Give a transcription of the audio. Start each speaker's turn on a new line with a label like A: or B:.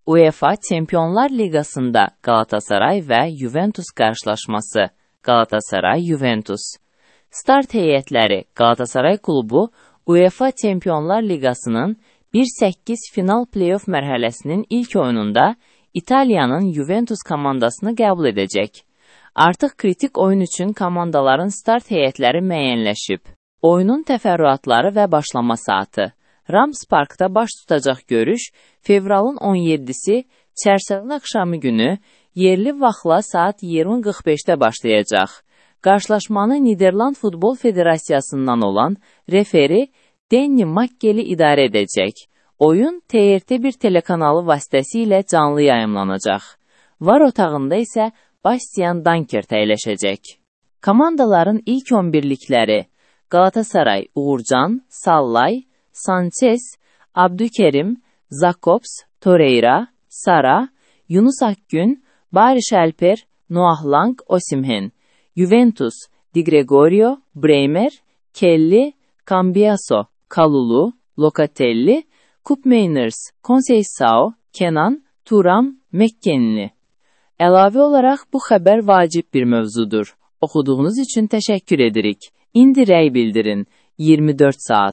A: UEFA Çempionlar Liqasında Galatasaray və Juventus qarşılaşması. Galatasaray-Juventus. Start heyətləri Galatasaray klubu UEFA Çempionlar Liqasının 1-8 final play-off mərhələsinin ilk oyununda İtaliyanın Juventus komandasını qəbul edəcək. Artıq kritik oyun üçün komandaların start heyətləri müəyyənləşib. Oyunun təfərrüatları və başlama saatı. Rams Parkda baş tutacaq görüş fevralın 17-si çərşənbə axşamı günü yerli vaxtla saat 20:45-də başlayacaq. Qarşılaşmanı Niderland Futbol Federasiyasından olan referi Danny Makkeli idarə edəcək. Oyun TRT1 telekanalı vasitəsilə canlı yayımlanacaq. VAR otağında isə Bastian Dankert əyləşəcək. Komandaların ilk 11-likləri Galatasaray, Uğurcan, Sallay, Sanchez, Abdükerim, Jakobs, Torreira, Sara, Yunus Akgün, Barış Alper, Noah Lang, Osimhen. Juventus, Di Gregorio, Bremer, Kelly, Cambiaso, Kalulu, Locatelli, Koopmeiners, Conceição, Kenan, Thuram, McKennie. Əlavə olaraq bu xəbər vacib bir mövzudur. Oxuduğunuz üçün təşəkkür edirik. İndi rəy bildirin. 24 saat.